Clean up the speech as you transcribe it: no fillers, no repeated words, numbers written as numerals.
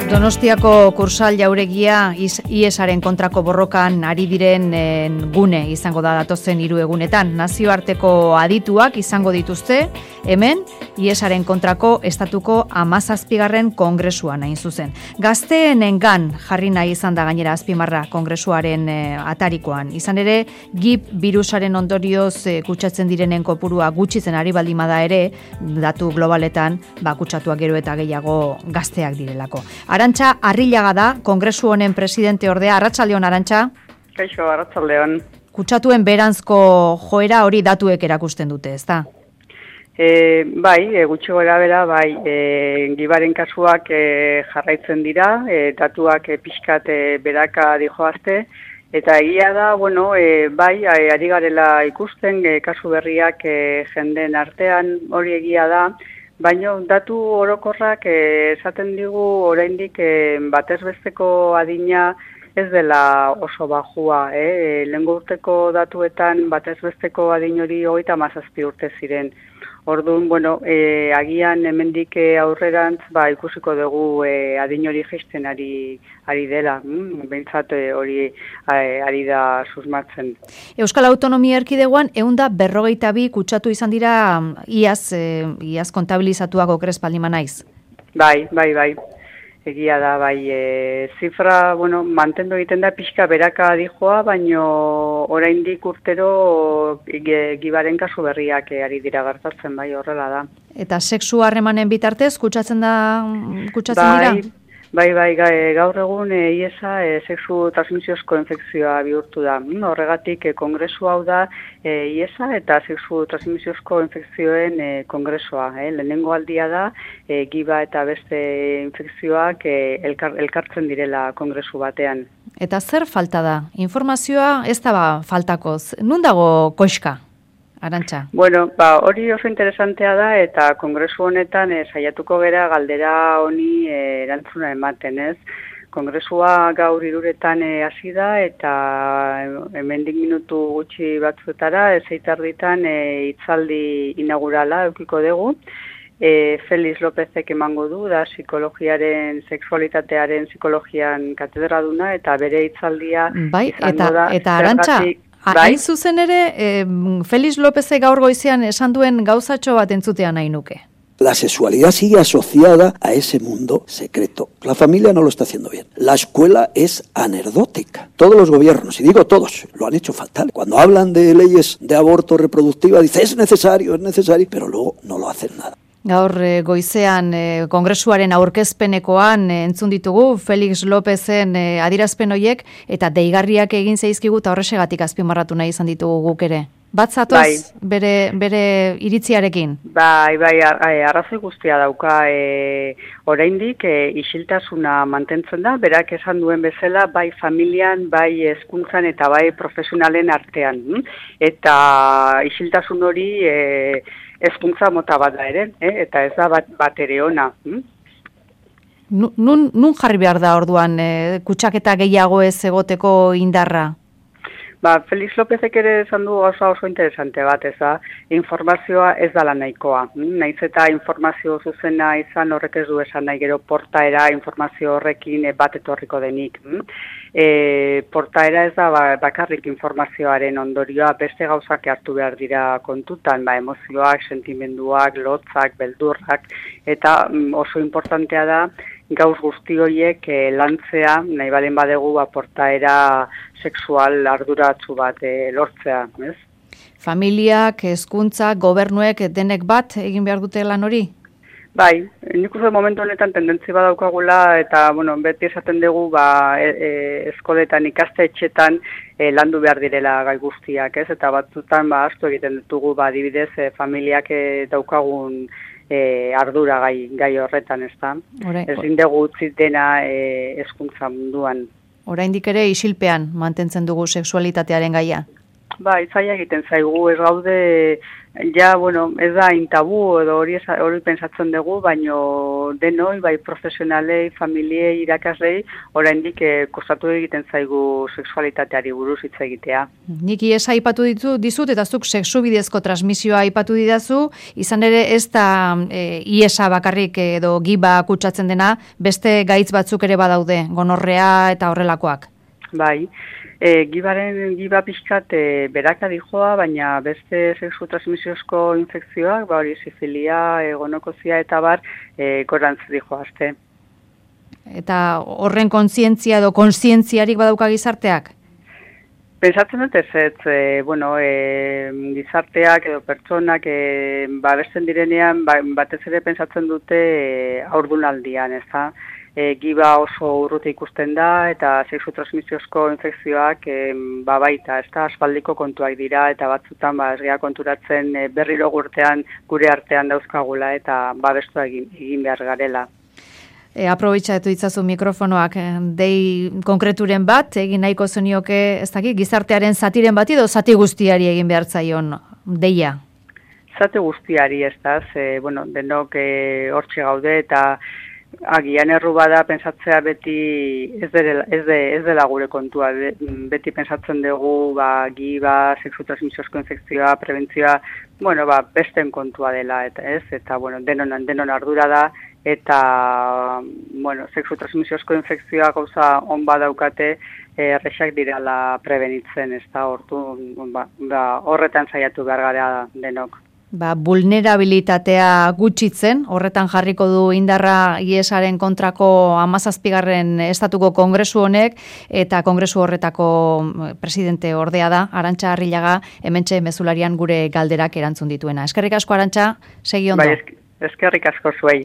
Donostiako Kursal jauregia IESaren kontrako borrokan ari diren gune izango da datozen 3 egunetan. Nazioarteko adituak izango dituzte, hemen IESaren kontrako estatuko 17. kongresuan hain zuzen. Gazteenengan jarri nahi izan da gainera azpimarra kongresuaren atarikoan. Izan ere, GIP birusaren ondorioz kutsatzen direnen kopurua gutxitzen ari baldimada ere, datu globaletan kutsatuak gero eta gehiago gazteak direlako. Arantxa Arrillaga da, kongresu honen presidente ordea. Arratsaldeon, Arantxa. Kaixo, arratsaldeon. Kutsatuen beranzko joera hori datuek erakusten dute, ezta? Bai, gutxi gora bera, bai, gibaren kasuak jarraitzen dira, datuak pixkat beraka dijoazte, eta egia da, bai, ari garela ikusten, kasu berriak jenden artean, hori egia da, baina datu orokorrak esaten digu oraindik batez besteko adina ez dela oso bajua. Lehengo urteko datuetan batez besteko adin hori 37 urte ziren. Orduan, agian hemendik aurrerantz ikusiko dugu adin hori jaisten ari dela, behintzat hori ari da susmatzen. Euskal Autonomia Erkidegoan 152 kutsatu izan dira iaz kontabilizatuak okrespaldima naiz. Bai. Egia da, zifra, mantendu egiten da pixka beraka dijoa, baino oraindik urtero gibaren kasu berriak ari dira gertatzen, horrela da. Eta sexu harremanen bitartez kutsatzen dira? Bai, gaur egun IESa sexu transmisiozko infekzioa bihurtu da. Horregatik kongresu hau da IESa eta sexu transmisiozko infekzioen kongresua. Lehenengo aldia da, giba eta beste infekzioak elkartzen direla kongresu batean. Eta zer falta da? Informazioa ez da faltakoz. Nun dago koxka? Arantxa. Hori oso interesantea da eta kongresu honetan saiatuko gera galdera honi erantzuna ematen, ez? Kongresua gaur 3:00 hasi da eta hemendik minutu gutxi batzuetara 6:30 hitzaldi inaugurala edukiko dugu. Felix Lópezek emango du, da psikologiaren, sexualitatearen psikologian katedraduna eta bere hitzaldia izango da. Eta Arantxa, hain zuzen ere, Felix Lópezek gaur goizean esan duen gauzatxo bat entzutean nahi nuke. La sexualidad sigue asociada a ese mundo secreto. La familia no lo está haciendo bien. La escuela es anecdótica. Todos los gobiernos, y digo todos, lo han hecho fatal. Cuando hablan de leyes de aborto reproductiva, dice es necesario, pero luego no lo hacen nada. Gaur goizean kongresuaren aurkezpenekoan entzun ditugu Felix Lópezen adierazpen horiek eta deigarriak egin zaizkigu eta horrexegatik azpimarratu nahi izan ditugu guk ere. Bat zatoz bere iritziarekin? Bai, arrazoi guztia dauka oraindik isiltasuna mantentzen da, berak esan duen bezala bai familian, bai hezkuntzan eta bai profesionalen artean. Eta isiltasun hori hezkuntza mota bat da ere, eta ez da bat ere ona. Nun jarri behar da orduan kutsaketa gehiago ez egoteko indarra? Felix Lópezek ere esan du oso interesante bat, informazioa ez dala nahikoa. Naiz eta informazio zuzena izan horrek ez du esan nahi gero portaera informazio horrekin bat etorriko denik. Portaera ez da bakarrik informazioaren ondorioa, beste gauzak hartu behar dira kontutan, emozioak, sentimenduak, lotzak, beldurrak, eta oso importantea da gauz guzti horiek lantzea, nahi balen badegu portaera sexual arduratsu bat lortzea, ez? Familiak, hezkuntza, gobernuek denek bat egin behar dute lan hori? Bai, nik uste momentu honetan tendentzi badaukagula eta beti esaten dugu eskoletan ikastetxetan landu behar direla gai guztiak, ez? Eta batzutan astu egiten ditugu adibidez familiak daukagun ardura gai horretan, ez da? Ezin dugu utzi dena hezkuntza munduan. Oraindik ere isilpean mantentzen dugu sexualitatearen gaia. Zaila egiten zaigu, ez gaude Ja, bueno, ez da intabu edo hori pentsatzen dugu, baino denoi, bai profesionalei, familiei, irakaslei, oraindik kostatu egiten zaigu sexualitateari buruz hitz egitea. Nik iesa aipatu dizut, eta zuk sexu bidezko transmisioa aipatu didazu, izan ere ez da iesa bakarrik edo giba kutsatzen dena, beste gaitz batzuk ere badaude, gonorrea eta horrelakoak. Bai, giba pixkat beraka dijoa, baina beste sexu transmisiozko infekzioak, hori sifilia, gonokozia eta bar, gorantz dijoazte. Eta horren kontzientzia edo kontzientziarik badauka gizarteak? Pentsatzen dut gizarteak edo pertsonak babesten direnean, batez ere pentsatzen dute haurdunaldian, ez da? Giba oso urruti ikusten da, eta sexu transmisiozko infekzioak baita, ez da, aspaldiko kontuak dira, eta batzutan ez gea konturatzen berriro gure artean dauzkagula, eta babestu egin behar garela. Aprobetxatu itzazu mikrofonoak dei konkreturen bat, egin nahiko zenioke, ez dakit, gizartearen zatiren bat edo zati guztiari egin behar zaion deia? Zati guztiari, ez da, denok hortxe gaude, eta agian erru bada pentsatzea beti ez dela gure kontua, beti pentsatzen dugu giba, sexu transmisiozko infekzioa, prebentzioa, besten kontua dela, eta denon ardura da, eta sexu transmisiozko infekzioa gauza on badaukate, errexak dirala prebenitzen, ez da, horretan saiatu behar gara denok. Vulnerabilitatea gutxitzen, horretan jarriko du indarra IESaren kontrako 17. estatuko kongresu honek, eta kongresu horretako presidente ordea da, Arantxa Arrillaga, hementxe mezularian gure galderak erantzun dituena. Eskerrik asko, Arantxa, segi ondo. Eskerrik asko zuei.